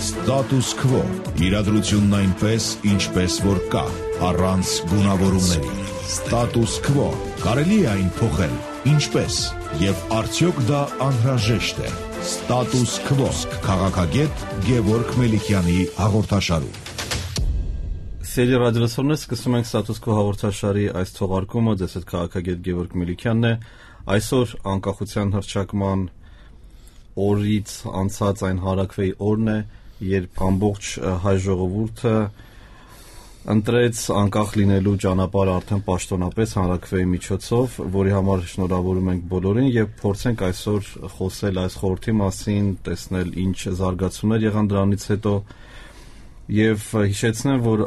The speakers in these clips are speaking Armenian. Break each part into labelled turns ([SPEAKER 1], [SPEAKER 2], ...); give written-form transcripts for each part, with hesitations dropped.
[SPEAKER 1] Status quo. Իրադրությունն այնպես, ինչպես որ կա, առանց գունավորումների։ Status quo. Կարելի է այն փոխել, ինչպես, եւ արդյոք դա անհրաժեշտ է։ Status quo. Քաղաքագետ Գևորգ Մելիքյանի հաղորդաշարում։
[SPEAKER 2] Սերի ռադիոլսողներ, սկսում ենք Status quo հաղորդաշարի այս թողարկումը, ձեզ հետ քաղաքագետ Գևորգ Մելիքյանն է։ Այսօր անկախության հռչակման օրից անցած այն հարակվեի օրն է, երբ ամբողջ հայ ժողովուրդը ընտրեց անկախ լինելու ճանապարհը արդեն պաշտոնապես հանրաքվեի միջոցով, որի համար շնորհավորում ենք բոլորին եւ փորձենք այսօր խոսել այս խորհրդի մասին, տեսնել ինչ զարգացումներ եղան դրանից հետո եւ հիշեցնեմ, որ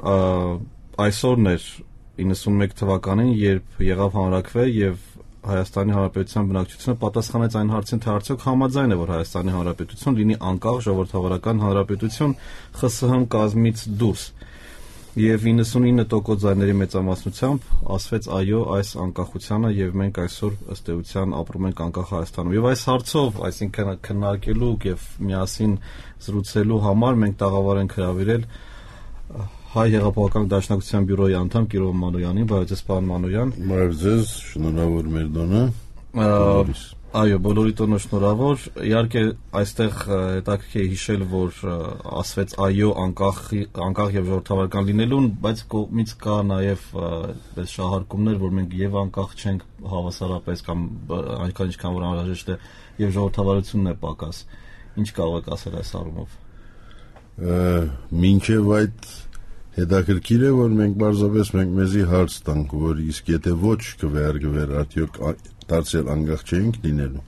[SPEAKER 2] այսօրն էր 91 թվականին, երբ եղավ հանրաքվե եւ Հայաստանի Հանրապետության բնակչությունը պատասխանեց այն հարցին, թե արդյոք համաձայն է, որ Հայաստանի Հանրապետություն լինի անկախ ժողովրդավարական հանրապետություն ԽՍՀՄ կազմից դուրս։ Եվ 99% ձայների մեծամասնությամբ ասվեց այո այս անկախությանը եւ մենք այսօր ըստ էության ապրում ենք անկախ Հայաստանում։ Եվ այս հարցով, այսինքն քննարկելու եւ միասին զրուցելու համար մենք տաղավար ենք հրավիրել Հայ Հեղափոխական Դաշնակցության բյուրոյի անդամ Կիրով Մանոյանին, բարև պարոն Մանոյան։
[SPEAKER 3] Բարև ձեզ, շնորհավոր մեր տոնը։
[SPEAKER 2] Այո, բոլորի տոնը շնորհավոր։ Իհարկե, այստեղ հետաքրքիր է հիշել, որ ասվեց այո անկախ եւ ժողովրդավարական լինելուն, բայց կողմից կա նաեւ այս շահարկումներ, որ մենք եւ անկախ չենք հավասարապես կամ այնքան ինչքան որ անհրաժեշտ է եւ ժողովրդավարությունն է պակաս։ Ինչ կարող եք ասել այս առումով։
[SPEAKER 3] Մինչև այդ հետաքրքիր է, որ մենք պարզապես մեզի հարց տանք, որ իսկ եթե ոչ կվերագրվեր, արդյոք դարձյալ անկախ չենք լինելու։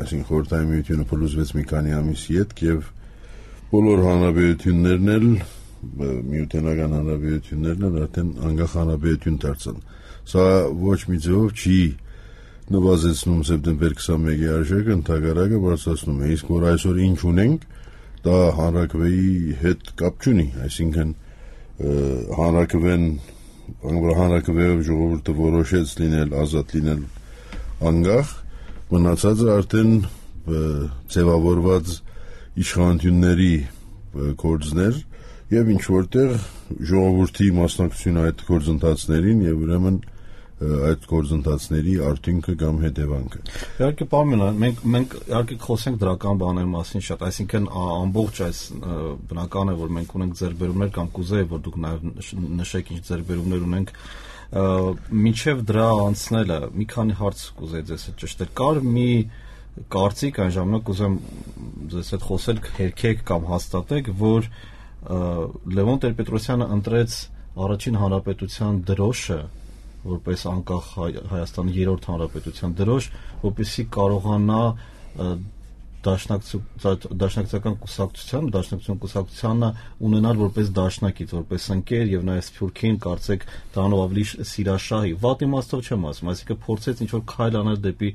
[SPEAKER 3] Այսինքն խորհրդային միությունը փլուզվեց մի քանի ամիսի հետ եւ բոլոր հանրապետություններն էլ միութենական հանրապետություններն էլ արդեն անկախ հանրապետություն դարձան։ Սա ոչ մի ձևով չի նվազեցնում սեպտեմբեր 21-ի արժեքը, ընդհակառակը բարձրացնում է։ Իսկ որ այսօր ինչ ունենք, դա հանրաքվեի հետ կապ չունի, այսինքն հանրաքվեով ժողովուրդը որոշեց լինել ազատ, լինել անկախ, մնացածը արդեն ձևավորված իշխանությունների գործներ եւ ինչ որտեղ ժողովրդի մասնակցությունը այդ գործընթացներին եւ ուրեմն այդ գործընթացների արդյունքը կամ հետևանքը։
[SPEAKER 2] Իհարկե, պարոն, մենք իհարկե խոսենք դրական բաների մասին շատ, այսինքն ամբողջ այս բնական է, որ մենք ունենք ձեռքբերումներ կամ կուզեի, որ դուք նաև նշեք ինչ ձեռքբերումներ ունենք, մինչև դրա անցնելը մի քանի հարց կուզեի ձեզ հետ ճշտել։ Կար մի կարծիք այն ժամանակ ուզեմ ձեզ հետ խոսել, հերքեք կամ հաստատեք, որ Լևոն Տեր-Պետրոսյանը ընտրեց առաջին հանրապետության դրոշը որպես անկախ Հայաստանի երրորդ հանրապետության դրոշ, որպեսզի կարողանա դաշնակցական կուսակցությանը ունենալ որպես դաշնակից, որպես ընկեր եւ նաեւ Սփյուռքին կարծեք դրանով ավելի սիրաշահի։ Վատ իմաստով չեմ ասում, այսինքն փորձեց ինչ որ քայլ անել դեպի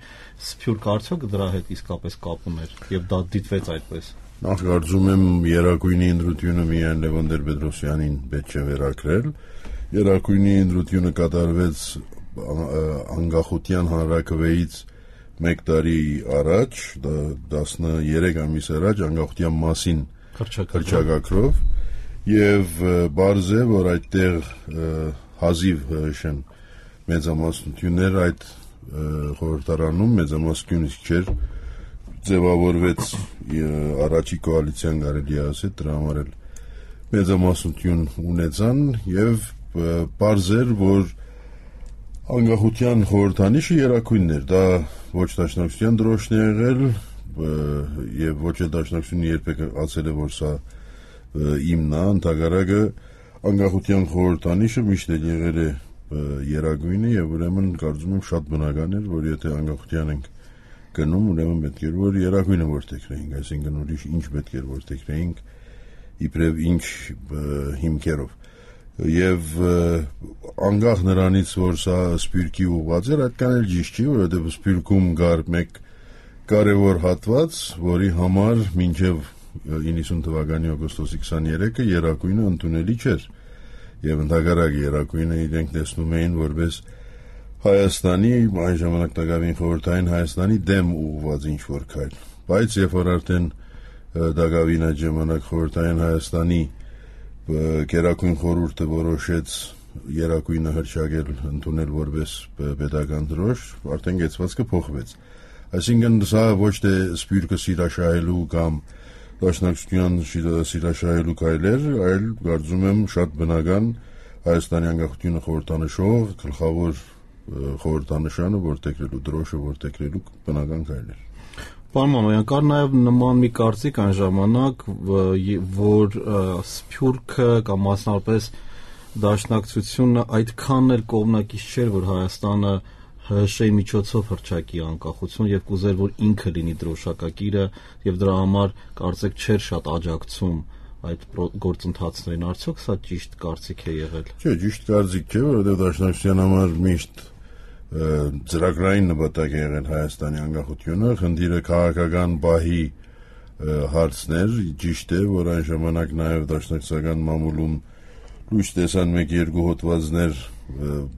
[SPEAKER 2] Սփյուռք, արդյոք դրա հետ իսկապես կապ ուներ եւ դա դիտվեց այդպես։
[SPEAKER 3] Նախ կարծում եմ Երակույնի ընտրությունը միայն Լևոն Տեր-Պետրոսյանին պետք է վերակրել։ Երակույնի ընտրությունը կատարվեց անկախության հանրաքվեից 1 տարի առաջ, 13 ամիս առաջ անկախության մասին հռչակագրով եւ բարձ է, որ այդտեղ հազիվ հրշեն մեծամասնություններ այդ խորհրդարանում մեծամասնություն չէր ձևավորվեց առաջի կոալիցիան կարելի ասել դրա համար էլ մեծամասնություն ունեցան եւ բարձ էր, որ անկախության խորհրդանիշը Երակույնն էր, դա ոչ դաշնակցության դրոշն է եղել եւ ոչ էլ դաշնակցությունը երբեք ասել է, որ սա իմն է, ընդհակառակը անկախության խորհրդանիշը միշտ էլ եղել է Երակույնը եւ ուրեմն կարծում եմ շատ բնական էր, որ եթե անկախության ենք գնում, ուրեմն պետք էր որ Երակույնը որտեքրեինք, այսինքն ուրիշ ինչ պետք էր որտեքրեինք իբրև ինչ հիմքերով եւ անկախ նրանից որ սա Սփյուռքի ուղղված էր, այդքան էլ ճիշտ չի, որովհետեւ Սփյուռքում կար մեկ կարևոր հատված, որի համար մինչեւ 90 թվականի օգոստոսի 23-ը Երակույնը ընդունելի չէր եւ ընդհակառակը Երակույնը իրենք տեսնում էին որպես Հայաստանի այն ժամանակ տակավին խորհրդային Հայաստանի դեմ ուղղված ինչ որ քայլ, բայց երբ որ արդեն Դագավին այդ ժամանակ խորհրդային Հայաստանի Գերագույն խորհուրդը որոշեց երակույնը հրճակել ընդունել որպես պետական դրոշ, արդեն գեցվածքը փոխվեց։ Այսինքն սա ոչ թե սփյուռքը սիրաշահելու կամ դաշնակցության սիրաշահելու քայլեր, այլ կարծում եմ շատ բնական Հայաստանի անկախությունը խորհրդանշող գլխավոր խորհրդանշանը որտեղելու դրոշը որտեղելու բնական քայլեր։
[SPEAKER 2] Պարոն Մանոյան, կար նաև նման մի կարծիք այն ժամանակ, որ սփյուռքը կամ մասնավորապես դաշնակցությունը այդքան էլ կողմնակից չէր, որ Հայաստանը ՀՀՇ-ի միջոցով հռչակի անկախություն եւ կուզեր, որ ինքը լինի դրոշակակիրը եւ դրա համար կարծեք չէր շատ աջակցում այդ գործընթացներին, արդյոք սա ճիշտ կարծիք է եղել։
[SPEAKER 3] Չէ, ճիշտ կարծիք չէ, որովհետեւ դաշնակցության համար միշտ ծրագրային նպատակ է եղել Հայաստանի անկախությունը, խնդիրը քաղաքական բահի հարցներ, ճիշտ է, որ այն ժամանակ նաև դաշնակցական մամուլում լույս տեսան 1-2 հոդվածներ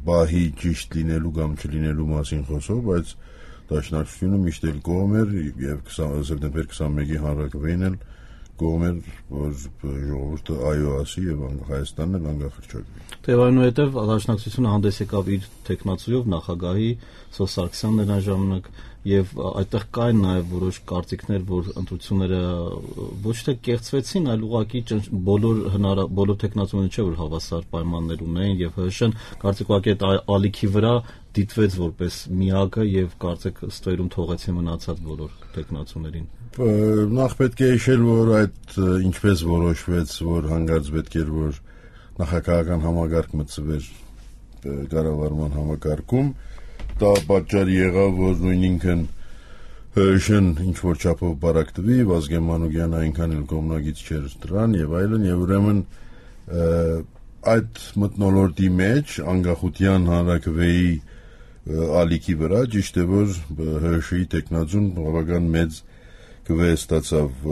[SPEAKER 3] բահի ճիշտ լինելու կամ չլինելու մասին խոսող, բայց դաշնակցությունը միշտ էլ կողմ էր եւ սեպտեմբեր 21-ի հանրակրվեին էլ կողմ էր, որ ժողովուրդը այո ասի եւ Հայաստանն էլ անկախ հռչակվի։
[SPEAKER 2] Եվ այնուհետև դաշնակցությունը հանդես եկավ իր տեխնացուով նախագահի Սոս Սարգսյանն այն ժամանակ եւ այդտեղ կային նաեւ որոշ կարծիքներ, որ ընտրությունները ոչ թե կեղծվեցին, այլ ուղղակի բոլոր տեխնացուները չէ որ հավասար պայմաններ ունեին եւ ՀՀՇ-ն կարծեք ուղղակի այդ ալիքի վրա դիտվեց որպես միակը եւ կարծեք ստերում թողեցին մնացած բոլոր տեխնացուներին։
[SPEAKER 3] Նախ պետք է հիշել, որ այդ ինչպես որոշվեց, որ հանգարց պետք էր որ նախագահական համագարկ մտցվեր կառավարման համակարգում, դա պատճառ եղավ, որ նույն ինքն ՀՀՇ-ն ինչ որ չափով բարակտվի, Վազգեն Մանուկյանը այնքան էլ կողմնակից չէր դրան եւ այլն, եւ ուրեմն այդ մթնոլորտի մեջ անկախության հանրակրվեի ալիքի վրա ճիշտ է որ ՀՀՇ-ի տեխնազուն բավական մեծ կվե ստացավ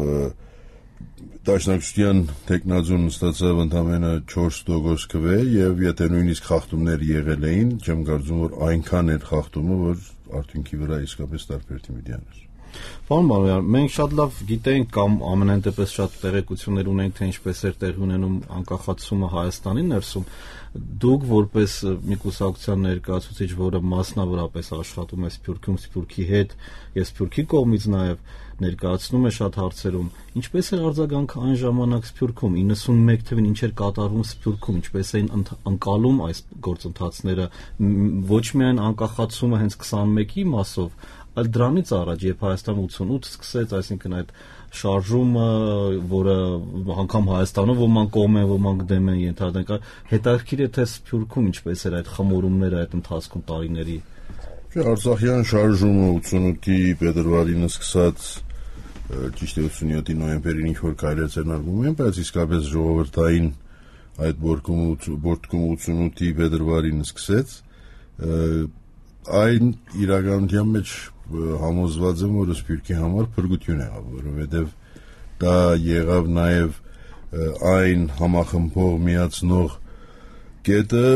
[SPEAKER 3] դաշնակցության տեխնազուն ստացավ ընդամենը 4% կվե եւ եթե նույնիսկ խախտումներ եղել էին, չեմ կարծում որ այնքան էր խախտումը, որ արդյունքի վրա իսկապես տարբեր դիմիդյան էր։
[SPEAKER 2] Պարոն Մանոյան, մենք շատ լավ գիտենք կամ ամենայն դեպս շատ տեղեկություններ ունենք, թե ինչպես էր տեղի ունենում անկախացումը Հայաստանի ներսում։ Դուք որպես մի կուսակցության ներկայացուցիչ, որը մասնավորապես աշխատում է Սփյուռքում, Սփյուռքի հետ եւ Սփյուռքի կողմից նաեւ ներկայացնում է շատ հարցերում, ինչպես էր արձագանքը այն ժամանակ Սփյուռքում 91 թվին ինչ էր կատարվում Սփյուռքում, ինչպես էին ընկալում այս գործընթացները, ոչ միայն անկախացումը հենց 21-ի մասով, այլ դրանից առաջ, երբ Հայաստանը 88 սկսեց, այսինքն այդ շարժումը, որը անգամ Հայաստանում ոմանք կողմ են, ոմանք դեմ են ենթադրենք, հետաքրքիր է թե Սփյուռքում ինչպես էր այդ խմորումները այդ ընթացքում տարիների։
[SPEAKER 3] Արցախյան շարժումը 88-ի փետրվարին սկսած ճիշտ է 87-ի նոյեմբերին ինչ որ քայլեր ձեռնարկվում են, բայց իսկապես ժողովրդային այդ բորտկումը 88-ի փետրվարին սկսեց, այն իրականության մեջ համոզված եմ, որ Սփյուռքի համար փրկություն եղավ, որովհետև դա եղավ նաև այն համախմբող միացնող կետը,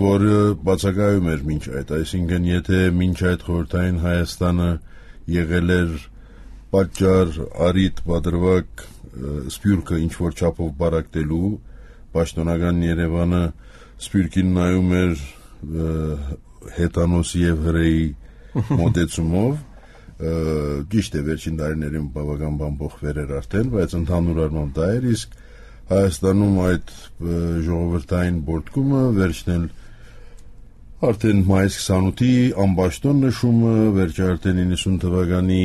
[SPEAKER 3] որը բացակայում էր մինչ այդ, այսինքն եթե մինչ այդ խորհրդային Հայաստանը եղել էր պատճառ, առիթ, պատրվակ Սփյուռքը ինչ որ չափով բարակտելու, պաշտոնական Երևանը Սփյուռքին նայում էր հետանոսի եւ հրեի մոտեցումով, ճիշտ է վերջին տարիներին բավական բան փոխվել էր արդեն, բայց ընդհանուր առմամբ դա էր, իսկ Հայաստանում այդ ժողովրդային բորտկումը վերջնել արդեն մայիս 28-ի ամբաշտոն նշումը, վերջը արդեն 90 թվականի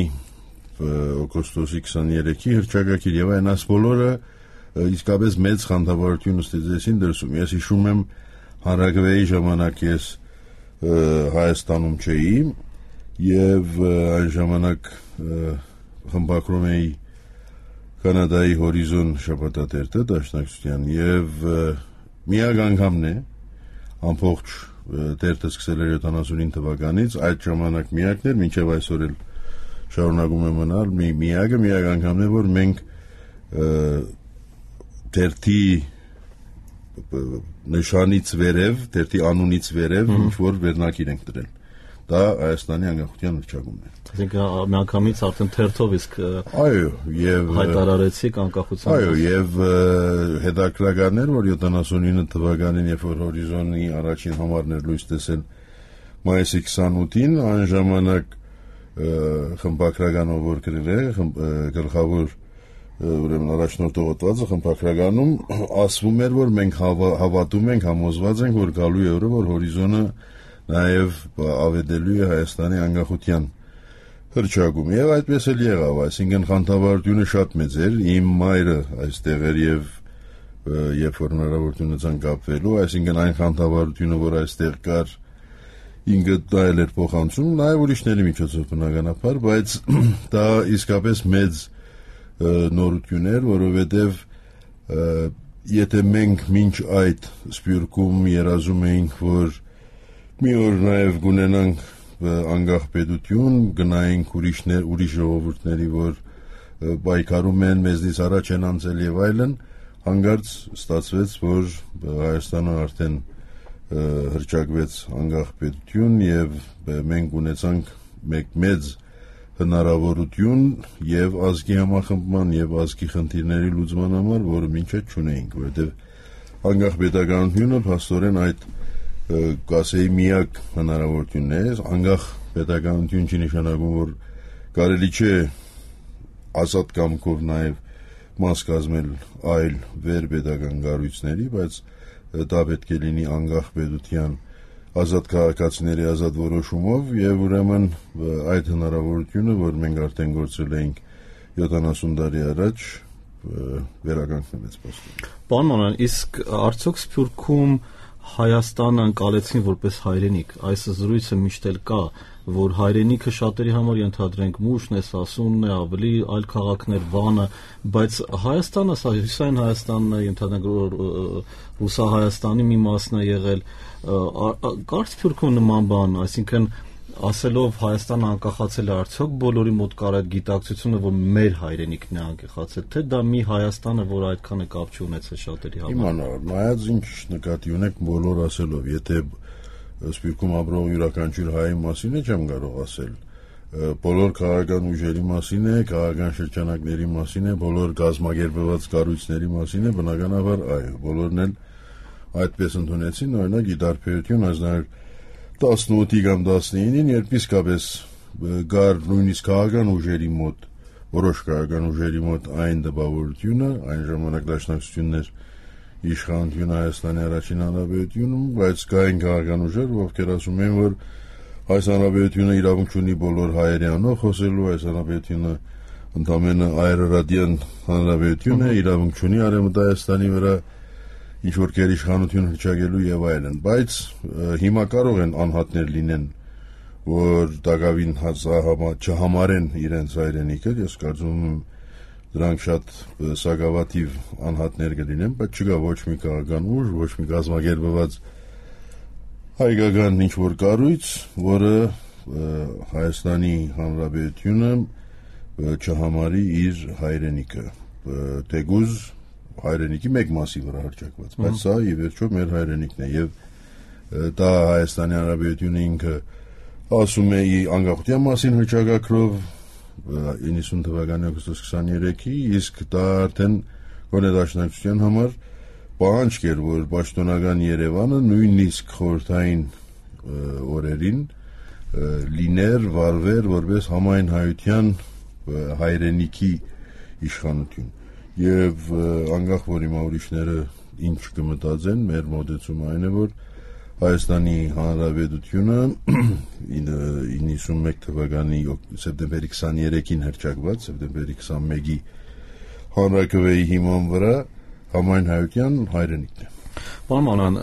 [SPEAKER 3] օգոստոսի 23-ի հռչակագիր եւ այն աս բոլորը իսկապես մեծ խանդավառություն ստեղծեցին դրսում։ Ես հիշում եմ հանրակրվեի ժամանակ ես Հայաստանում չէի եւ այն ժամանակ խմբակրում էի Կանադայի հորիզոն շաբաթատերտը դաշնակցության եւ միակ անգամն է ամբողջ տերտը սկսել էր 79 թվականից այդ ժամանակ միակն էր մինչեւ այսօր էլ շարունակում է մնալ միակ անգամն է որ մենք տերտի նշանից վերև տերտի անունից վերև ինչ որ վերնակիր ենք դրել դա Հայաստանի անկախության հռչակումն է։
[SPEAKER 2] Այսինքն միանգամից արդեն թերթով իսկ
[SPEAKER 3] այո, եւ
[SPEAKER 2] հայտարարեցիք անկախության։
[SPEAKER 3] Այո, եւ հետաքրքրական էր, որ 79 թվականին, երբ որ Հորիզոնի առաջին համարն էր լույս տեսել մայիսի 28-ին, այն ժամանակ խմբակրականով որ գրել է, գլխավոր ուրեմն առաջնորդող հոդվածը խմբակրականում ասվում էր, որ մենք հավատում ենք, համոզված ենք, որ գալու է օրը, որ Հորիզոնը նաև ավետելու է Հայաստանի անկախության հռչակում, եւ այդպես էլ եղավ, այսինքն խանդավառությունը շատ մեծ էր, իմ մայրը այստեղ էր եւ երբ որ հնարավորություն ունեցան կապվելու, այսինքն այն խանդավառությունը, որ այստեղ կար, ինքը դա էր փոխանցում, նաև ուրիշների միջոցով բնականաբար, բայց դա իսկապես մեծ նորություն էր, որովհետև եթե մենք մինչ այդ Սփյուռքում երազում էինք, որ մի օր նաև կունենանք անկախ պետություն, գնայինք ուրիշ ժողովուրդների, որ պայքարում են, մեզնից առաջ են անցել եւ այլն, հանկարծ ստացվեց, որ Հայաստանը արդեն հռչակվեց անկախ պետություն եւ մենք ունեցանք մեծ հնարավորություն եւ ազգի համախմբման եւ ազգի խնդիրների լուծման համար, որը մինչ այդ չունեինք, որովհետեւ անկախ պետականությունը փաստորեն այդ կասեի միակ հնարավորությունն է, անկախ պետականություն չի նշանակում, որ կարելի չէ ազատ կամքով նաեւ մաս կազմել այլ վերպետական կառույցների, բայց դա պետք է լինի անկախ պետության ազատ քաղաքացիների ազատ որոշումով եւ ուրեմն այդ հնարավորությունը, որ մենք արդեն գործել էինք 70 տարի առաջ, վերականգնվեց փաստորեն։
[SPEAKER 2] Պարոն Մանոյան, իսկ արդյոք Սփյուռքում Հայաստանը ընկալեցին որպես հայրենիք, այս զրույցը միշտ էլ կա, որ հայրենիքը շատերի համար ենթադրենք Մուշն է, Սասունն է, ավելի այլ քաղաքներ, Վանը, բայց Հայաստանը, սա հյուսային Հայաստանն է, ենթադրենք Ռուսահայաստանի մի մասն է եղել, կար Սփյուռքում նման բան, այսինքն ասելով Հայաստանը անկախացել է, արդյոք բոլորի մոտ կար այդ գիտակցությունը, որ մեր հայրենիքն է անկախացել, թե դա մի Հայաստան է, որ այդքան է կապ չունեցել շատերի համար։
[SPEAKER 3] Իմանալ, նայած ինչ նկատի ունեք բոլոր ասելով, եթե Սփյուռքում ապրող յուրաքանչյուր հայի մասին է չեմ կարող ասել, բոլոր քաղաքական ուժերի մասին է, քաղաքական շրջանակների մասին է, բոլոր կազմակերպված կառույցների մասին է, բնականաբար այո, բոլորն էլ այդպես ընդունեցին, օրինակ ի տարբերություն 18-ի կամ 19-ին, երբ իսկապես գար նույնիսկ քաղաքական ուժերի մոտ, որոշ քաղաքական ուժերի մոտ այն դպավորությունը, այն ժամանակ դաշնակցություններ իշխանությունը Հայաստանի առաջին հանրապետությունում, բայց կային քաղաքական ուժեր, ովքեր ասում են, որ այս հանրապետությունը իրավունք ունի բոլոր հայերի անով խոսելու, այս հանրապետությունը ընդամենը այրարատյան հանրապետություն է, իրավունք ունի Արևմտահայաստանի վրա ինչ-որ գերիշխանություն հռչակելու եւ այլն, բայց հիմա կարող են անհատներ լինեն, որ դակավին չհամարեն իրենց հայրենիքը, ես կարծում եմ դրանք շատ սակավաթիվ անհատներ կլինեն, բայց չկա ոչ մի քաղաքական ուժ, ոչ մի կազմակերպված հայկական ինչ-որ կառույց, որը Հայաստանի Հանրապետությունը չհամարի իր հայրենիքը, թեկուզ հայրենիքի մեկ մասի վրա հռչակված, բայց սա ի վերջո մեր հայրենիքն է եւ դա Հայաստանի Հանրապետությունը ինքը ասում է անկախության մասին հռչակագրով 90 թվականի օգոստոս 23-ի, իսկ դա արդեն գոնե դաշնակցության համար պահանջ էր, որ պաշտոնական Երևանը նույնիսկ խորհրդային օրերին լիներ, վարվեր որպես համայն հայության հայրենիքի իշխանություն եւ անկախ որ հիմա ուրիշները ինչ կմտածեն, մեր մոտեցումը այն է, որ Հայաստանի Հանրապետությունը 91 թվականի սեպտեմբերի 23-ին հռչակված, սեպտեմբերի 21-ի հանրաքվեի հիման վրա համայն հայության հայրենիքն է։
[SPEAKER 2] Պարոն Մանոյան,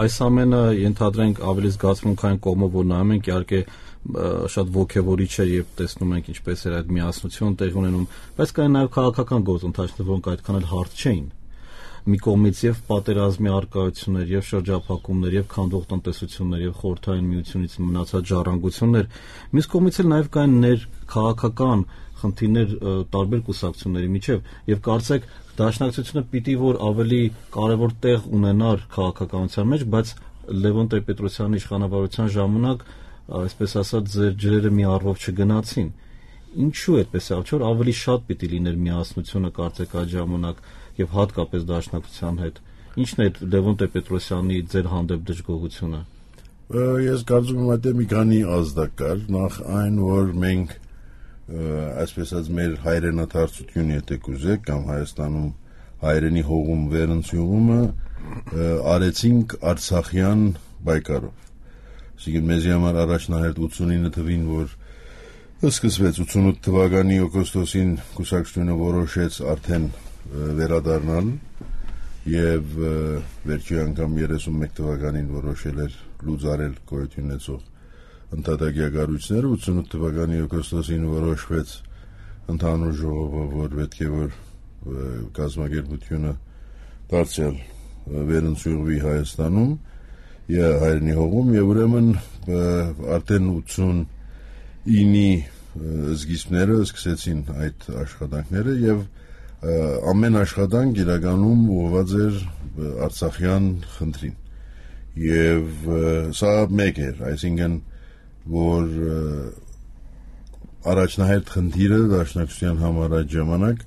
[SPEAKER 2] այս ամենը ենթադրենք ավելի զգացմունքային կողմով որ նայում ենք, իհարկե շատ ոգևորիչ է, երբ տեսնում ենք ինչպես էր այդ միասնությունը տեղի ունենում, բայց կային նաև քաղաքական գործընթացներ, որոնք այդքան էլ հարթ չէին։ Մի կողմից եւ պատերազմի արկայություններ, եւ շրջափակումներ, եւ քանդող տնտեսություններ, եւ խորհրդային միությունից մնացած ժառանգություններ, մյուս կողմից էլ նաև կային քաղաքական խնդիրներ տարբեր կուսակցությունների միջև, եւ կարծեք դաշնակցությունը պիտի որ ավելի կարևոր տեղ ունենար քաղաքականության մեջ, բայց Լևոն Տեր-Պետրոսյանի իշխանավարության ժամանակ այսպես ասած ձեր ջրերը մի առվով չգնացին։ Ինչու այդպես է, որ ավելի շատ պիտի լիներ միասնությունը կարծեք այդ ժամանակ եւ հատկապես դաշնակցության հետ։ Ինչն է այդ Լևոն Տեր-Պետրոսյանի ձեր հանդեպ դժգոհությունը։
[SPEAKER 3] Ես կարծում եմ այդ մի քանի ազդակ կար, նախ այն, որ մենք այսպես ասած մեր հայրենադարձություն, եթե կուզեք, կամ Հայաստանում հայրենի հողում վերընծյունումը արեցինք Արցախյան պայքարով։ Այսինքն մեզի համար առաջնահերթ 89 թվին, որ սկսվեց 88 թվականի օգոստոսին կուսակցությունը որոշեց արդեն վերադառնալ եւ վերջի անգամ 31 թվականին որոշել էր լուծարել գոյություն ունեցող ընդհատակյա կառույցները, 88 թվականի օգոստոսին որոշվեց ընդհանուր ժողովը, որ պետք է որ կազմակերպությունը դարձյալ վերընծուղվի Հայաստանում եւ հայրենի հողում եւ ուրեմն արդեն 89-ի սկիզբները սկսեցին այդ աշխատանքները եւ ամեն աշխատանք իրականում ուղղված էր Արցախյան խնդրին եւ սա մեկ էր, այսինքն որ առաջնահերթ խնդիրը դաշնակցության համար այդ ժամանակ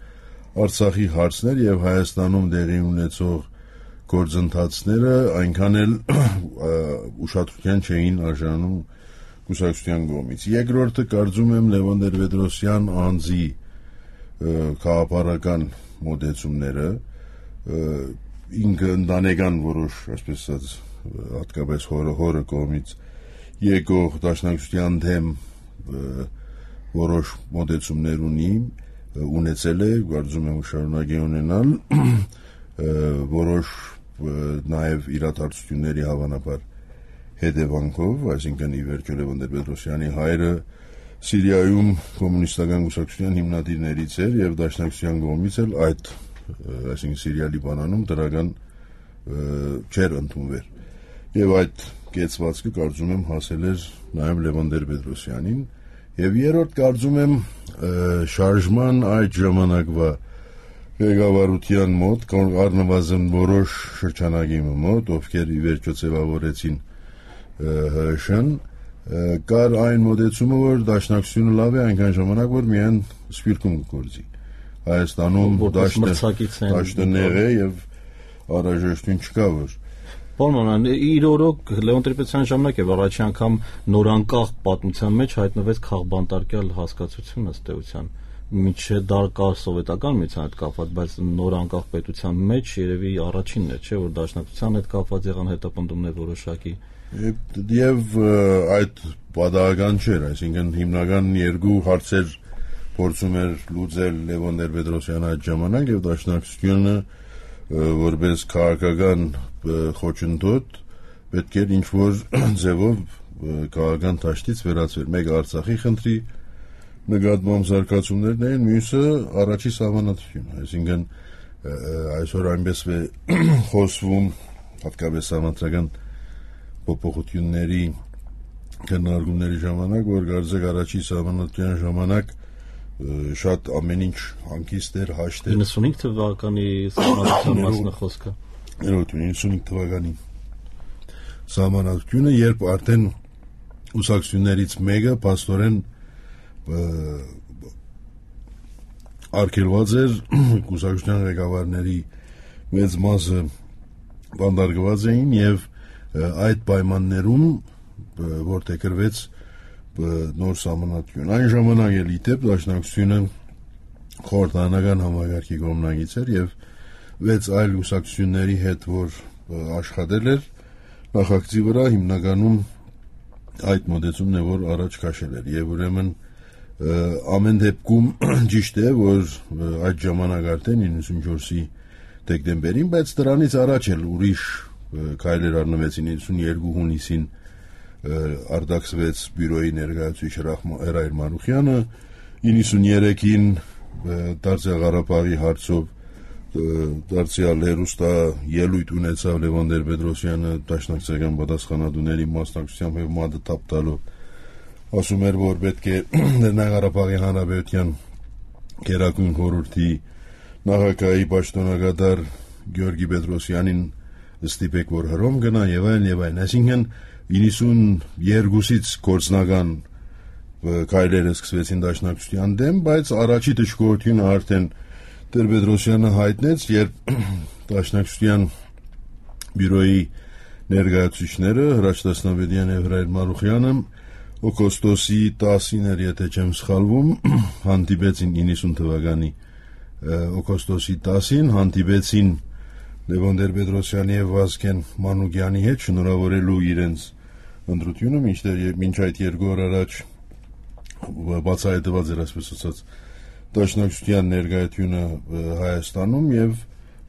[SPEAKER 3] Արցախի հարցներ եւ Հայաստանում դեղի ունեցող գործընթացները այնքան էլ ուշադրության չէին արժանում կուսակցության կողմից։ Երկրորդը կարծում եմ Լևոն Տեր-Պետրոսյան անձի քաղաքական մոտեցումները, ինքը ընտանեկան որոշ, այսպես ասած, հատկապես հորը կողմից եկող դաշնակցության դեմ որոշ մոտեցումներ ունեցել է, կարծում եմ շարունակ է ունենալ, որոշ նաև իրադարձությունների հավանաբար հետևանքով, այսինքն ի վերջո Լևոն Տեր-Պետրոսյանի հայրը Սիրիայում կոմունիստական կուսակցության հիմնադիրներից էր եւ դաշնակցության կողմից էլ այդ, այսինքն Սիրիա Լիբանանում դրական չէր ընդունվել։ Եվ այդ կեցվածքը կարծում եմ հասել էր նաև Լևոն Տեր-Պետրոսյանին եւ երրորդ կարծում եմ շարժման այդ ժամանակվա ղեկավարության մոտ առնվազն որոշ շրջանակի մոտ, ովքեր ի վերջո ձևավորեցին ՀՀՇ-ն, կար այն մոտեցումը, որ դաշնակցությունը լավ է այնքան ժամանակ, որ միայն սպիրտում գործի։ Հայաստանում դաշտը նեղ է եւ առաջնորդություն չկա որ։
[SPEAKER 2] Պարոն, իր օրոք Լևոն Տեր-Պետրոսյանի ժամանակ եւ առաջի անգամ նորանկախ պատմության մեջ հայտնվեց քաղբանտարկյալ հասկացությունը ըստ էության։ Միջև դա կար սովետական միության հետ կապված, բայց նորանկախ պետության մեջ երևի առաջինն է, չէ՞ որ դաշնակցության հետ կապված եղան հետապնդումներ որոշակի։
[SPEAKER 3] Եվ այդ պատահական չէր, այսինքն հիմնական երկու հարցեր փորձում էր լուծել Լևոն Տեր-Պետրոսյանը այդ ժամանակ եւ դաշնակցությունը որպես քաղաքական խոչընդոտ պետք էր ինչ-որ ձևով քաղաքական դաշտից վերածվել։ Մեկը Արցախի խնդրի նկատմամբ զարգացումներն էին, մյուսը առաջի սահմանադրությունը, այսինքն այսօր այնպես է խոսվում հատկապես համանտրական փոփոխությունների քննարկումների ժամանակ, որ կարծեք առաջի սահմանադրության ժամանակ շատ ամեն ինչ հանգիստ էր, հաշտ էր։
[SPEAKER 2] 95 թվականի սահմանադրության մասն է խոսքը։
[SPEAKER 3] 95 թվականի սահմանադրությունը, երբ արդեն ուսակցություններից մեկը փաստորեն արգելված էր, կուսակցության ղեկավարների մեծ մասը բանտարկված էին եւ այդ պայմաններում որտեղ գրվեց նոր սահմանադրություն։ Այն ժամանակ էլ իդեպ դաշնակցությունը խորհրդարանական համագարկի կողմնակից էր եւ 6 այլ ուսակցությունների հետ որ աշխատել էր նախագծի վրա հիմնականում այդ մոտեցումն է որ առաջ քաշել էր եւ ուրեմն ամեն դեպքում ճիշտ է որ այդ ժամանակ արդեն 94-ի դեկտեմբերին, բայց դրանից առաջ էլ ուրիշ քայլեր առնվեցին 92 հունիսին արտաքսվեց բյուրոյի ներկայացուցիչ Հրայր Մանուխյանը, 93-ին Դարձյալ Ղարաբաղի հարցով դարձյալ հերուստա ելույթ ունեցավ Լևոն Տեր-Պետրոսյանը դաշնակցական պատասխանատուների մասնակցությամբ եւ մատը թափ տալով ասում էր որ պետք է Ղարաբաղի հանրապետության Գերագույն խորհրդի նախագահի պաշտոնակատար Գյորգի Պետրոսյանին ստիպեք որ հրոմ գնա եւ այլն, այսինքն 92-ից գործնական քայլերը սկսվեցին դաշնակցության դեմ, բայց առաջի դժգոհությունը արդեն Տեր-Պետրոսյանը հայտնեց, երբ դաշնակցության բյուրոյի ներկայացուցիչները Հրաչ Դասնավետյան եւ Հրայր Մարուխյանը օգոստոսի 10-ին էր, եթե չեմ սխալվում, հանդիպեցին 90 թվականի օգոստոսի 10-ին հանդիպեցին Լևոն Տեր-Պետրոսյանի եւ Վազգեն Մանուկյանի հետ շնորհավորելու իրենց ընտրությունը, մինչ այդ 2 օր առաջ բացահայտված էր այսպես ասած դաշնակցության ներկայությունը Հայաստանում եւ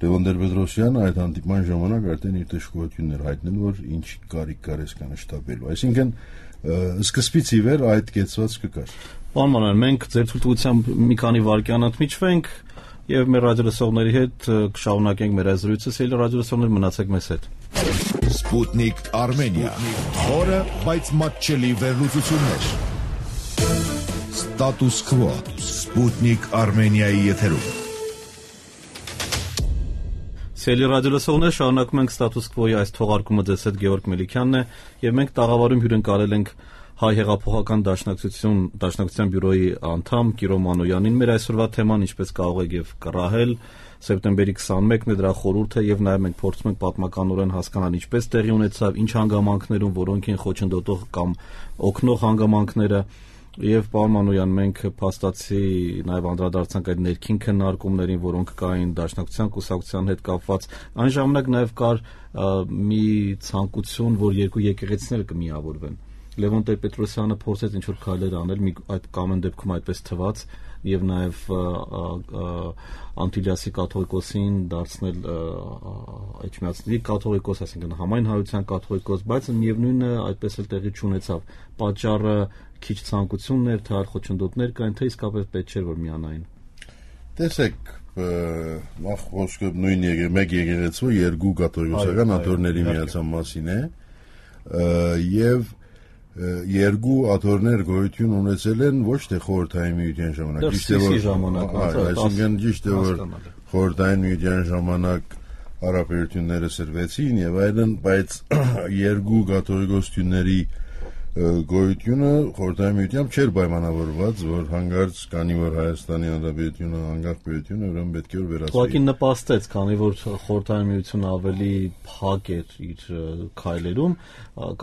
[SPEAKER 3] Լևոն Տեր-Պետրոսյանը այդ հանդիպման ժամանակ արդեն իր դժգոհությունն էր հայտնել, որ ինչ կարիք կար այսքան շտապելու, այսինքն սկզբից ի վեր այդ կեցված կկար։
[SPEAKER 2] Պարոն Մանուկյան, մենք ձեր ցույցությամբ մի քանի վայրկյան ընդմիջվենք եւ մեր ռադիոլսողների հետ կշարունակենք մեր զրույցը, սիրելի ռադիոլսողներ, մնացեք մեզ հետ։
[SPEAKER 1] Սպուտնիկ Արմենիա, խորը, բայց մատչելի վերլուծություններ։ Ստատուս քվո, Սպուտնիկ Արմենիայի եթերում։
[SPEAKER 2] Սիրելի ռադիոլսողներ, շարունակում ենք ստատուս քվոյի այս թողարկումը, ձեզ հետ Գևորգ Մելիքյանն է եւ մենք տաղավարում հյուրընկալել ենք Հայ հեղափոխական դաշնակցության բյուրոյի անդամ Կիրո Մանոյանին։ Մեր այսօրվա թեման, ինչպես կարող եք եւ կռահել, սեպտեմբերի 21-ն է, դրա խորհուրդը, եւ նաեւ մենք փորձում ենք պատմականորեն հասկանալ ինչպես տեղի ունեցավ, ինչ հանգամանքներում, որոնք են խոչընդոտող կամ օգնող հանգամանքները։ Եվ պարոն Մանոյան, մենք փաստացի նաև անդրադարձանք այդ ներքին քննարկումներին, որոնք կային դաշնակցության կուսակցության հետ կապված։ Այն ժամանակ նաև կար մի ցանկություն, որ երկու եկեղեցիները կմիավորվեն։ Լևոն Տեր-Պետրոսյանը փորձեց ինչ-որ քայլեր անել, այդ կամ այն դեպքում այդպես թվաց, եւ նաև Անտիլիասի կաթողիկոսին դարձնել Էջմիածնի կաթողիկոս, այսինքն համայն հայության կաթողիկոս, բայց միևնույնն է այդպես էլ տեղի չունեցավ։ Պատճառը քիչ ցանկություններ, թե այլ խոչընդոտներ կային, թե իսկապես պետք չէր որ միանային։
[SPEAKER 3] Տեսեք, նախ խոսքը նույն մեկ եկեղեցու երկու կաթողիկոսական աթոռների միացան մասին է, եւ երկու աթոռներ գոյություն ունեցել են ոչ թե խորհրդային միության ժամանակ, այսինքն ճիշտ է որ խորհրդային միության ժամանակ հարաբերությունները սրվեցին եւ այլն, բայց երկու կաթողիկոսությունների գոյությունը խորհրդային միությամբ չէր պայմանավորված, որ հանգարց կանի որ Հայաստանի Հանրապետությունը անկախ պետություն է, ուրեմն պետք է որ վերացվի։
[SPEAKER 2] Ուղղակի նպաստեց, քանի որ խորհրդային միությունը ավելի փակ էր իր քայլերում,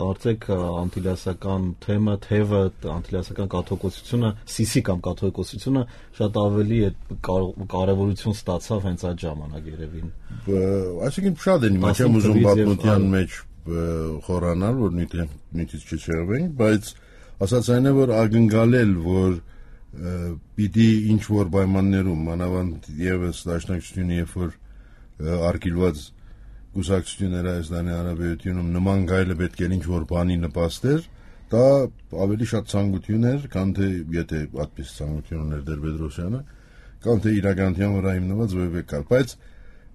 [SPEAKER 2] կարծեք անտիլիասական թևը, անտիլիասական կաթողիկոսությունը, Սիսի կամ կաթողիկոսությունը շատ ավելի կարևորություն ստացավ հենց այդ ժամանակ երևին։
[SPEAKER 3] Այսինքն շատ են իմ չեմ ուզում պատմության մեջ խորանալ, որ նույնիսկ չչեղվենք, բայց ասած այն է, որ ակնկալել, որ պիտի ինչ-որ պայմաններում, մանավանդ ևս դաշնակցությունը, երբ որ արգելված կուսակցությունները Հայաստանի Հանրապետությունում նման գայլը պետք է ինչ-որ բանի նպաստեր, դա ավելի շատ ցանկություն էր, քան թե եթե այդպես ցանկություն ուներ Տեր-Պետրոսյանը, քան թե իրականության վրա հիմնված որևէ կար, բայց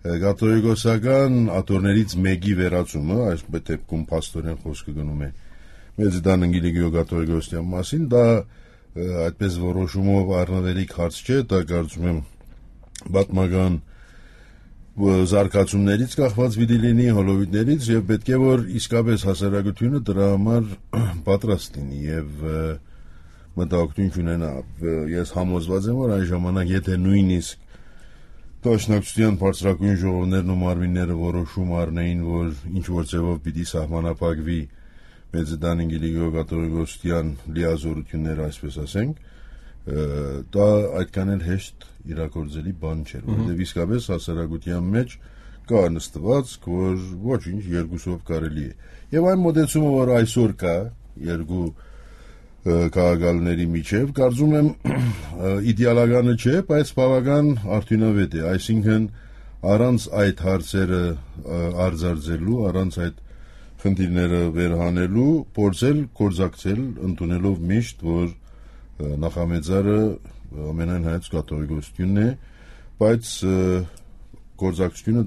[SPEAKER 3] կաթողիկոսական աթոռներից մեկի վերացումը, այս դեպքում փաստորեն խոսքը գնում է Մեծիդան Անգելիկիո կաթողիկոսության մասին, դա այդպես որոշումով առնվելիք հարց չէ, դա կարծում եմ պատմական զարգացումներից կախված պիտի լինի, հոլովիտներից, եւ պետք է որ իսկապես հասարակությունը դրա համար պատրաստ լինի եւ մտահոգություն չունենա։ Ես համոզված եմ, որ այն ժամանակ եթե նույնիսկ Դաշնակցության բարձրագույն ժողովներն ու մարմինները որոշում առնեին, որ ինչ-որ ձևով պիտի սահմանափակվի Մեծիդան Անգելիկիո կաթողիկոսության լիազորությունները, այսպես ասենք, դա այդքան էլ հեշտ իրագործելի բան չէր, որովհետև իսկապես հասարակության մեջ կա նստվածք, որ ոչինչ երկուսով կարելի է։ Եվ այն մոտեցումը, որ այսօր կա երկու քաղաքալների միջև, կարծում եմ իդեալականը չէ, բայց բավական արդյունավետ է, այսինքն առանց այդ հարցերը արձարծելու, առանց այդ խնդիրները վերհանելու, փորձել գործակցել, ընդունելով միշտ, որ նախամեծարը ամենայն հայոց կաթողիկոսությունն է, բայց գործակցությունը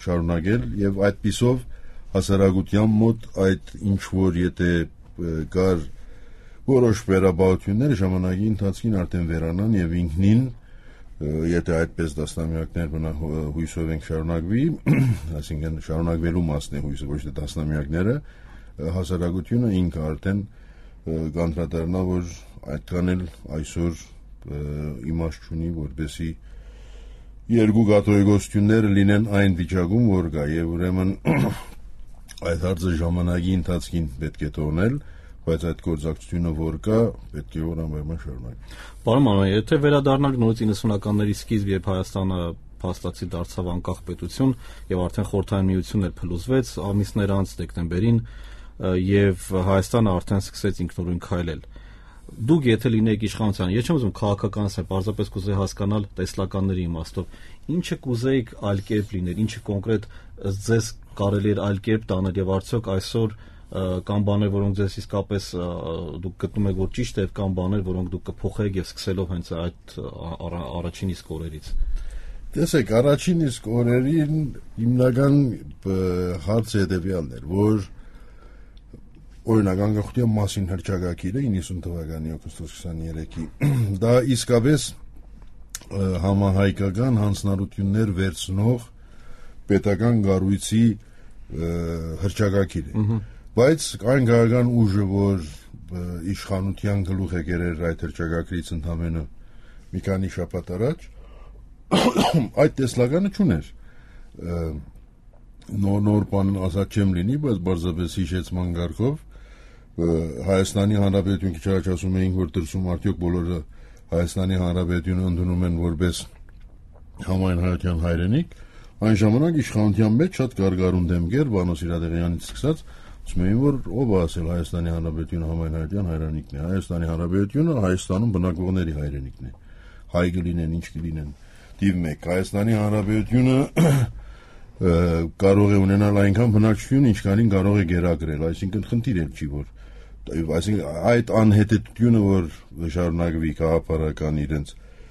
[SPEAKER 3] շարունակել եւ այդպիսով հասարակության մոտ այդ ինչ որ եթե կար որոշ վերաբերություններ ժամանակի ընթացքին արդեն վերանան եւ ինքնին եթե այդպես դասնամյակներ հույսով ենք շարունակվի, այսինքն շարունակվելու մասն է հույսը, ոչ թե դասնամյակները, հասարակությունը ինքը արդեն կանդրադառնա, որ այդքան էլ այսօր իմաստ չունի, որպեսզի երկու կաթողիկոսությունները լինեն այն վիճակում, որ կա, եւ ուրեմն այդ հարցը ժամանակի ընթացքին պետք է թողնել, բայց այդ գործակցությունը որ կա, պետք է որ անպայման շարունակի։
[SPEAKER 2] Պարոն Մանուկյան, եթե վերադառնանք նորից 90-ականների սկիզբ, երբ Հայաստանը փաստացի դարձավ անկախ պետություն եւ արդեն Խորհրդային Միությունն էլ փլուզվեց ամիսներ անց դեկտեմբերին եւ Հայաստանը արդեն սկսեց ինքնուրույն քայլել։ Դուք եթե լինեիք իշխանության, ես չեմ ուզում քաղաքականացնել, պարզապես կուզեի հասկանալ տեսլականների իմաստով, ինչը կուզեիք այլ կերպ լիներ, ինչը կոնկրետ ձեզ կարելի էր այլ կերպ տանել եւ արդյոք այսօր կամ բաներ, որոնք ձեզ իսկապես դուք գտնում եք, որ ճիշտ է, կամ բաներ, որոնք դուք կփոխեք եւ սկսելով հենց այդ առաջին իսկ օրերից։
[SPEAKER 3] Տեսեք, առաջին իսկ օրերին հիմնական հարցը հետեւյալն էր, որ օրինակ անկախության մասին հռչակագիրը 90 թվականի օգոստոս 23-ի դա իսկապես համահայկական հանձնառություններ վերցնող պետական կառույցի հռչակագիր է, բայց այն քաղաքական ուժը, որ իշխանության գլուխ է կերել այդ հռչակագրից ընդամենը մի քանի շաբաթ առաջ, այդ տեսլականը չուներ։ Նոր բան ասած չեմ լինի, բայց բարձրապես հիշեցման կարգով Հայաստանի Հանրապետություն քիչ առաջ ասում էինք, որ դրսում արդյոք բոլորը Հայաստանի Հանրապետությունը ընդունում են որպես համայն հայության հայրենիք, այն ժամանակ իշխանության մեջ շատ կարգառուն դեմքեր Վանո Սիրադեղյանից սկսած ասում էին, որ ով է ասել Հայաստանի Հանրապետությունը համայն հայության հայրենիքն է, Հայաստանի Հանրապետությունը Հայաստանում բնակվողների հայրենիքն է, հայ կլինեն, ինչ կլինեն, դիվ մեկ, Հայաստանի Հանրապետությունը կարող է ունենալ այնքան բնակչություն, ինչքանին կարող է գերակրել, այսինքն խնդիր էլ չի, որ այսինքն այդ անհետեթությունը, որ շարունակվի քաղաքական իրենց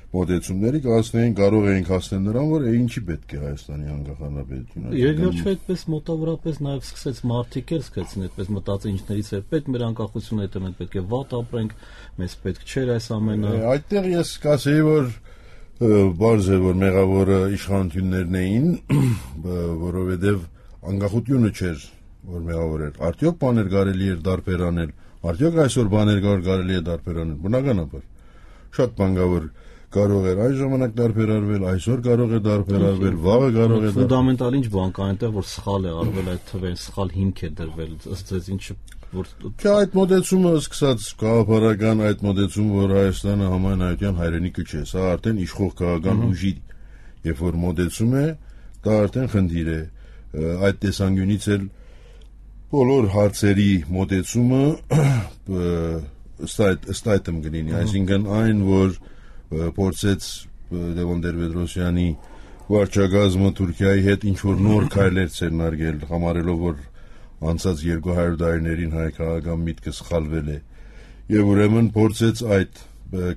[SPEAKER 3] մոտեցումների կհասնեին, կարող էինք հասնել նրան, որ ինչի պետք է Հայաստանի անկախ հանրապետությունը։
[SPEAKER 2] Երկրորդ այդպես մոտավորապես նաև սկսեց մարդիկ էլ սկսեցին այդպես մտածել ինչներից է պետք մեր անկախությունը, հետո մենք պետք է վատ ապրենք, մեզ պետք չէր այս ամենը։
[SPEAKER 3] Այդտեղ ես կասեի, որ բարձ է, որ մեղավորը իշխանություններն էին, որովհետև անկախությունը չէր, որ մեղավոր էր։ Արդյոք բաներ կարելի էր դարբեր անել, արդյոք այսօր բաներ կարելի է դարբեր անել, բնականաբար։ Շատ բան կա, որ կարող էր այն ժամանակ դարբերարվել, այսօր կարող է դարբերարվել, վաղը կարող է
[SPEAKER 2] ֆունդամենտալ ինչ բան կա այնտեղ, որ սխալ է արվել այդ թվերին, սխալ հիմք է դրվել, ըստ ձեզ ինչը որ
[SPEAKER 3] այդ մոտեցումը սկսած քաղաքական այդ մոտեցումը, որ Հայաստանը համայն հայության հայրենիքը չէ, սա արդեն իշխող քաղաքական ուժի, երբ որ մոտեցում է, դա արդեն խնդիր է։ Այդ տեսանկյունից էլ բոլոր հարցերի մոտեցումը ըստ այդմ կլինի, այսինքն այն, որ փորձեց Լևոն Տեր-Պետրոսյանի վարչակազմը Թուրքիայի հետ ինչ-որ նոր քայլեր ցերնարգել, համարելով, որ անցած 200 տարիներին հայկական միտքը սխալվել է, եւ ուրեմն փորձեց այդ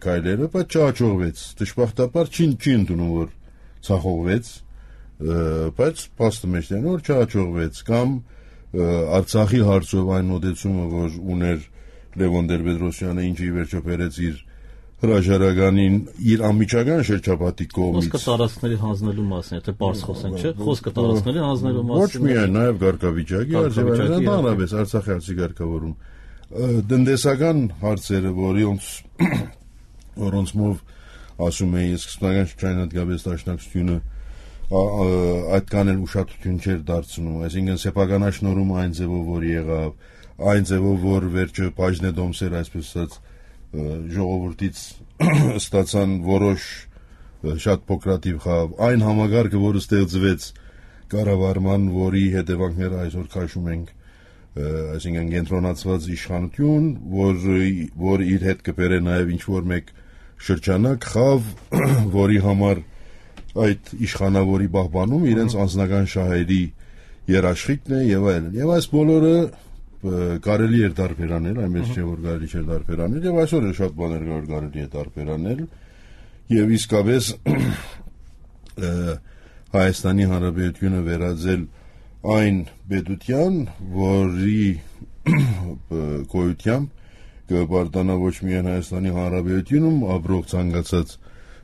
[SPEAKER 3] քայլերը, բայց չհաջողվեց։ Դժբախտաբար չի ընդունում, որ ցախողվեց, բայց փաստը մեջ է, որ չհաջողվեց, կամ Արցախի հարցով այն մոտեցումը, որ ուներ Լևոն Տեր-Պետրոսյանը, ինչը ի վերջո բերեց իր հրաժարականին իր անմիջական շրջապատի կողմից։
[SPEAKER 2] Խոսքը տարածքների հանձնելու մասին, եթե բարձ խոսենք, չէ՞, խոսքը տարածքների հանձնելու մասին։
[SPEAKER 3] Ոչ միայն, նաև ղարքավիճակի, ընդհանրապես Արցախի հարցի ղարքավորում։ Տնտեսական հարցերը, որոնցով ասում էի, սկզբնական շրջանային հատկապես դաշնակցությունը այդքան էլ ուշադրություն չէր դարձնում, այսինքն սեփականաշնորհում այն ձևով, որ եղավ, այն ձևով, որ վերջը բաժնե դոմսեր, այսպես ասած, ժողովրդից ստացան որոշ շատ փոքրատիվ խավ, այն համագարկը, որը ստեղծվեց կառավարման, որի հետևանքները այսօր քաշում ենք, այսինքն կենտրոնացված իշխանություն, որ իր հետ կբերե նաև ինչ-որ մեկ շրջանակ խավ, որի համար այդ իշխանավորի պահպանում իրենց անձնական շահերի երաշխիքն է եւ այլն։ Եվ այս բոլորը կարելի էր դարբերանել, այնպես չէ որ կարելի չէր դարբերանել, եւ այսօր էլ շատ բաներ կարելի է դարբերանել, եւ իսկապես Հայաստանի Հանրապետությունը վերածել այն պետության, որի գոյությամբ կբարտանա ոչ միայն Հայաստանի Հանրապետությունում ապրող ցանկացած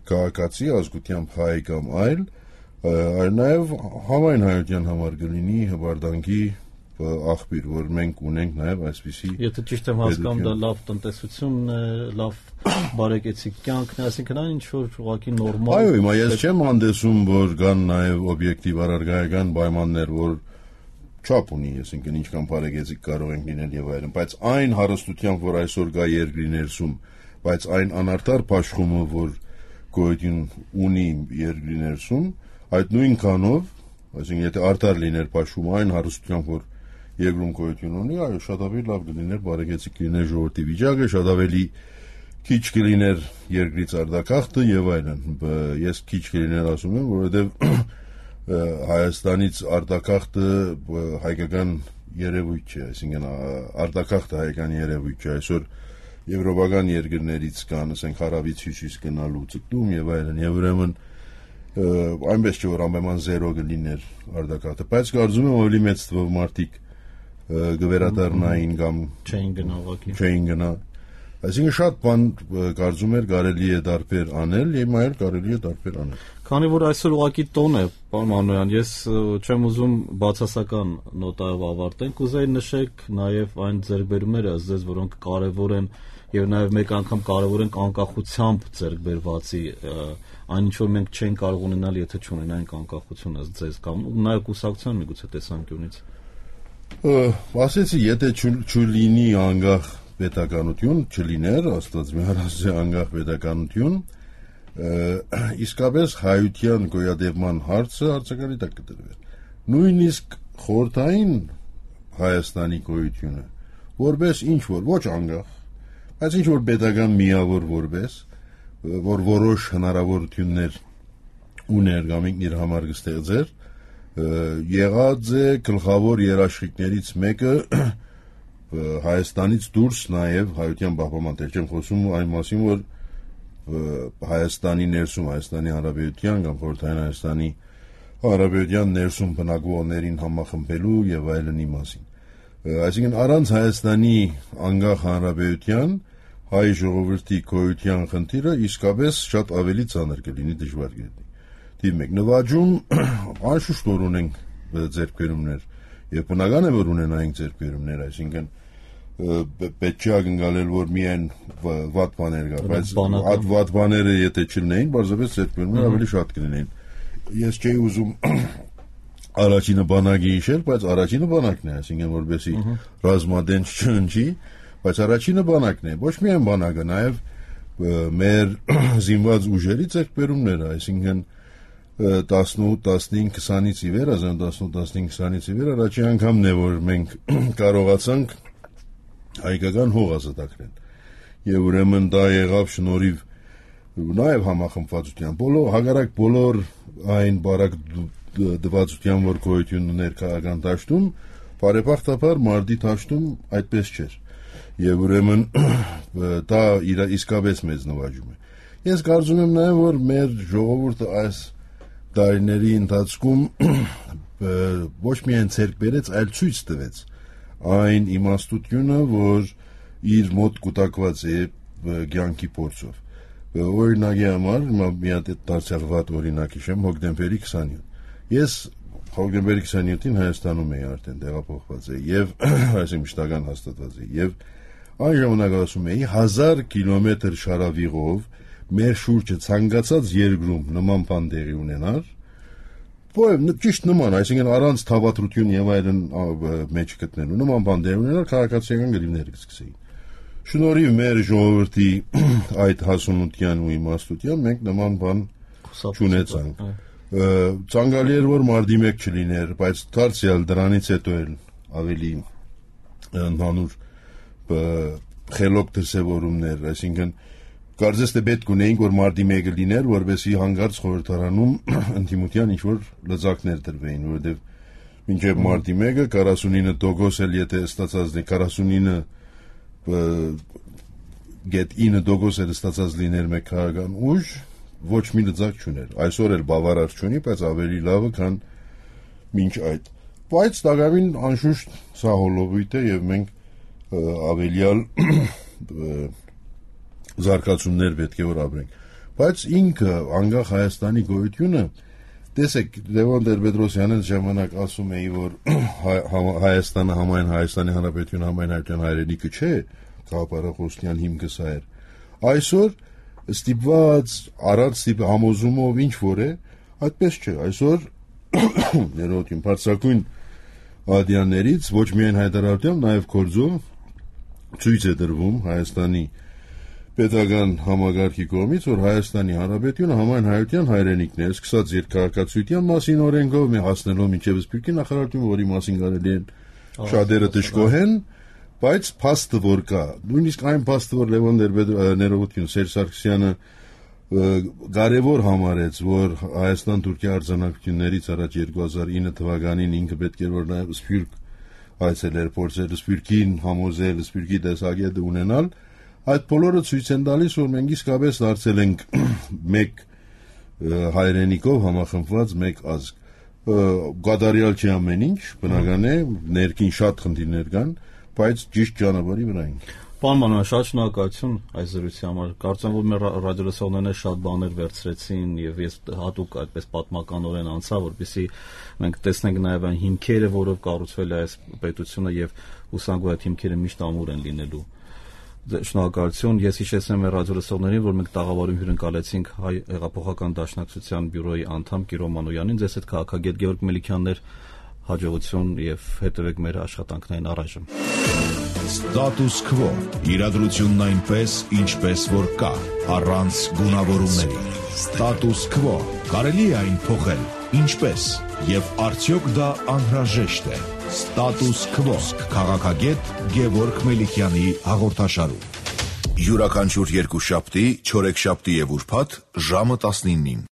[SPEAKER 3] քաղաքացի, ազգությամբ հայ կամ այլ նաև համայն հայության համար կլինի հպարտանքի աղբյուր, որ մենք ունենք նաև այսպիսի
[SPEAKER 2] Եթե ճիշտ եմ հասկանում, դա լավ տնտեսությունն է, լավ բարեկեցիկ կյանքն է, այսինքն այն ինչ որ ուղղակի նորմալ։
[SPEAKER 3] Այո, հիմա ես չեմ հանդեսում, որ կան նաև օբյեկտիվ առարկայական պայմաններ, որ չափ ունի, այսինքն ինչքան բարեկեցիկ կարող ենք լինել եւ այլն, բայց այն հարստությամբ, որ այսօր կա երկրի ներսում, բայց այն անարդար փաշխումը, որ գոյություն ունի երկրի ներսում, այդ նույն կանով, այսինքն եթե արդար լիներ փաշխումը այն հարստությամբ, որ երկրում գոյություն ունի, այո, շատ ավելի լավ կլիներ, բարեկեցիկ կլիներ ժողովրդի վիճակը, շատ ավելի քիչ կլիներ երկրից արտակախտը եւ այլն։ Ես քիչ կլիներ ասում եմ, որովհետեւ Հայաստանից արտակախտը հայկական երևույթ չէ, այսինքն արտակախտը հայկական երևույթ չէ, այսօր եվրոպական երկրներից կան, ասենք հարավից հյուսիս գնալու ցկտում եւ այլն, եւ ուրեմն այնպես չէ որ անպայման 0 կլիներ արտակախտը, բայց կարծում եմ ավելի մեծ թվով մարդիկ գվերադառնային կամ չէին գնա, այսինքն շատ բան կարծում էր կարելի է դարբեր անել, եւ այլ կարելի է դարբեր անել։
[SPEAKER 2] Քանի որ այսօր ուղղակի տոն է, պարոն Մանոյան, ես չեմ ուզում բացասական նոտայով ավարտենք, կուզեի նշեք նաև այն ձեռքբերումները ըստ ձեզ, որոնք կարևոր են եւ նաև մեկ անգամ կարևոր են անկախությամբ ձեռքբերվածի, այն ինչ որ մենք չենք կարող ունենալ, եթե չունենայինք անկախություն ըստ ձեզ, կամ նաև կուսակցության միգուցե տեսանկյունից։
[SPEAKER 3] Ասեցի, եթե չլինի անկախ պետականություն, չլիներ, Աստված միարասե անկախ պետականություն, իսկապես հայության գոյատևման հարցը արձակալի տակ կդրվեր։ Նույնիսկ խորհրդային Հայաստանի գոյությունը, որպես ինչ որ ոչ անկախ, բայց ինչ որ պետական միավոր որպես, որ որոշ հնարավորություններ ուներ կամ իր համար կստեղծեր, եղած է գլխավոր երաշխիքներից մեկը Հայաստանից դուրս նաև հայության պահպանման, չեմ խոսում այն մասին, որ Հայաստանի ներսում, Հայաստանի Հանրապետության կամ Խորհրդային Հայաստանի Հանրապետության ներսում բնակվողներին համախմբելու եւ այլնի մասին։ Այսինքն առանց Հայաստանի անկախ հանրապետության հայ ժողովրդի գոյության խնդիրը իսկապես շատ ավելի ծանր կլինի, դժվար կլինի։ Դիվ մեկ նվաճում անշուշտ որ ունենք ձեռքբերումներ եւ բնական է որ ունենայինք ձեռքբերումներ, այսինքն պետք չէ ակնկալել որ միայն վատ բաներ կա, բայց այդ վատ բաները եթե չլինեին, բարձրապես ձեռքբերումները ավելի շատ կլինեին։ Ես չէի ուզում առաջինը բանակի հիշել, բայց առաջինը բանակն է, այսինքն որպեսի ռազմադեն չընջի, բայց առաջինը բանակն է, ոչ միայն բանակը, նաև մեր զինված ուժերի ձեռքբերումները, այսինքն 18-15 20-ից ի վեր, 18-15 20-ից ի վեր առաջին անգամն է, որ մենք կարողացանք հայկական հող ազատագրել։ Եվ ուրեմն դա եղավ շնորհիվ նաև համախմբվածության, հակառակ բոլոր այն բարակ դվածության, որ գոյություն ուներ քաղաքական դաշտում, բարեբախտաբար մարտի դաշտում այդպես չէր։ Եվ ուրեմն դա իսկապես մեծ նվաճում է։ Ես կարծում եմ նաև, որ մեր ժողովուրդը այս տարիների ընթացքում ոչ միայն ցերկ բերեց, այլ ցույց տվեց այն իմաստությունը, որ իր մոտ կուտակված է կյանքի փորձով։ Օրինակի համար մի հատ դարձյալ վատ օրինակ հիշեմ, հոկտեմբերի 27։ Ես հոկտեմբերի 27-ին Հայաստանում էի արդեն տեղափոխված էի եւ այսինքն մշտական հաստատված էի եւ այն ժամանակ ասում էի 1000 կիլոմետր շարավիղով մեր շուրջը ցանկացած երկրում նման բան տեղի ունենար, ճիշտ նման, այսինքն առանց թավատրություն եւ այլն մեջ գտնելու նման բան տեղի ունենար, քաղաքացիական գրիվներ կսկսեին։ Շնորհիվ մեր ժողովրդի այդ հասունության ու իմաստության մենք նման բան չունեցանք։ Ցանկալի էր որ մարտի 1 չլիներ, բայց դարձյալ դրանից հետո էլ ավելի ընդհանուր խելոք դրսևորումներ, այսինքն կարծես թե պետք ունեինք որ մարտի 1-ը լիներ, որովհետեւ հանգարց խորհրդարանում ընդդիմության ինչ որ լծակներ դրվեին, որովհետեւ մինչև մարտի 1-ը 49% էլ եթե ստացած լինի 49% էլ ստացած լիներ մեկ քաղաքական ուժ, ոչ մի լծակ չուներ։ Այսօր էլ բավարար չունի, բայց ավելի լավը քան մինչ այդ։ Բայց դակավին անշուշտ սա հոլովույթ է եւ մենք ավելյալ զարգացումներ պետք է որ ապրենք։ Բայց ինքը անկախ Հայաստանի գոյությունը Տեսեք, Լևոն Տեր-Պետրոսյանը ժամանակ ասում էի, որ Հայաստանը համայն Հայաստանի Հանրապետությունը համայն հայրենիքը հայրենիքը չէ, գաղափարախոսության հիմքը սա էր։ Այսօր ստիպված առանց համոզումով ինչ որ է, այդպես չէ։ Այսօր ներողություն, բարձրակույն ադյաններից ոչ միայն հայտարարությամբ, նաև գործով ցույց է տրվում Հայաստանի պետական համագարքի կողմից, որ Հայաստանի Հանրապետությունը համայն հայության հայրենիքն է, սկսած երկարակացության մասին օրենքով, մի հասնելով մինչև Սփյուռքի նախարարությունը, որի մասին կարելի է շատերը դժգոհեն, բայց փաստը որ կա, նույնիսկ այն փաստը, որ Լևոն ներողություն Սերժ Սարգսյանը կարևոր համարեց, որ Հայաստան-Թուրքիա արձանագրություններից առաջ 2009 թվականին ինքը պետք է որ նաև Սփյուռք այցելեր, փորձեր Սփյուռքին համոզել, Սփյուռքի տեսակետը ունենալ, այդ բոլորը ցույց են տալիս, որ մենք իսկապես դարձել ենք մեկ հայրենիքով համախմբված մեկ ազգ։ Գադարյալ չի ամեն ինչ, բնական է, ներքին շատ խնդիրներ կան, բայց ճիշտ ճանապարհի վրա ենք։
[SPEAKER 2] Պարոն Մանուկյան, շատ շնորհակալություն այս զրույցի համար։ Կարծեմ, որ մեր ռադիոլսողներն շատ բաներ վերցրեցին եւ ես հատուկ այդպես պատմականորեն անցա, որպեսզի մենք տեսնենք նաեւ այն հիմքերը, որով կառուցվել է այս պետությունը եւ հուսանք որ այդ հիմքերը միշտ ամուր են լինելու։ Շնորհակալություն։ Ես հիշեցնեմ մեր ռադիոլսողներին, որ մենք տաղավարում հյուրընկալեցինք Հայ հեղափոխական դաշնակցության բյուրոյի անդամ Կիրո Մանուկյանին, ձեզ հետ քաղաքագետ Գևորգ Մելիքյանն էր, հաջողություն եւ հետեւեք մեր աշխատանքներին առայժմ։
[SPEAKER 1] Status quo. Իրադրությունն այնպես, ինչպես որ կա, առանց գունավորումների։ Status quo. Կարելի է այն փոխել, ինչպես եւ արդյոք դա անհրաժեշտ է։ Status quo. Քաղաքագետ Գևորգ Մելիքյանի հաղորդաշարում։ Յուրաքանչյուր երկուշաբթի, չորեքշաբթի եւ ուրբաթ ժամը 19-ին։